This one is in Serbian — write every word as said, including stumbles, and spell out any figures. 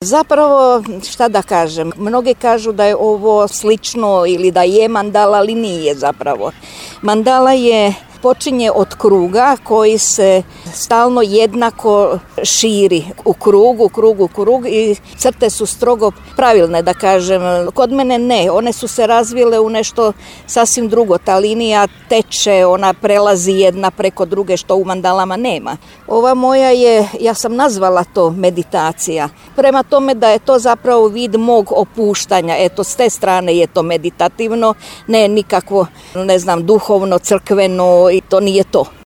Zapravo, šta da kažem, mnogi kažu da je ovo slično ili da je mandala, ali nije zapravo. Mandala je počinje od kruga koji se stalno jednako širi u krugu, krugu, krug i crte su strogo pravilne, da kažem. Kod mene ne, one su se razvile u nešto sasvim drugo. Ta linija teče, ona prelazi jedna preko druge, što u mandalama nema. Ova moja je, ja sam nazvala to meditacija. Prema tome da je to zapravo vid mog opuštanja. Eto, s te strane je to meditativno, ne nikakvo, ne znam, duhovno, crkveno, i to nije to.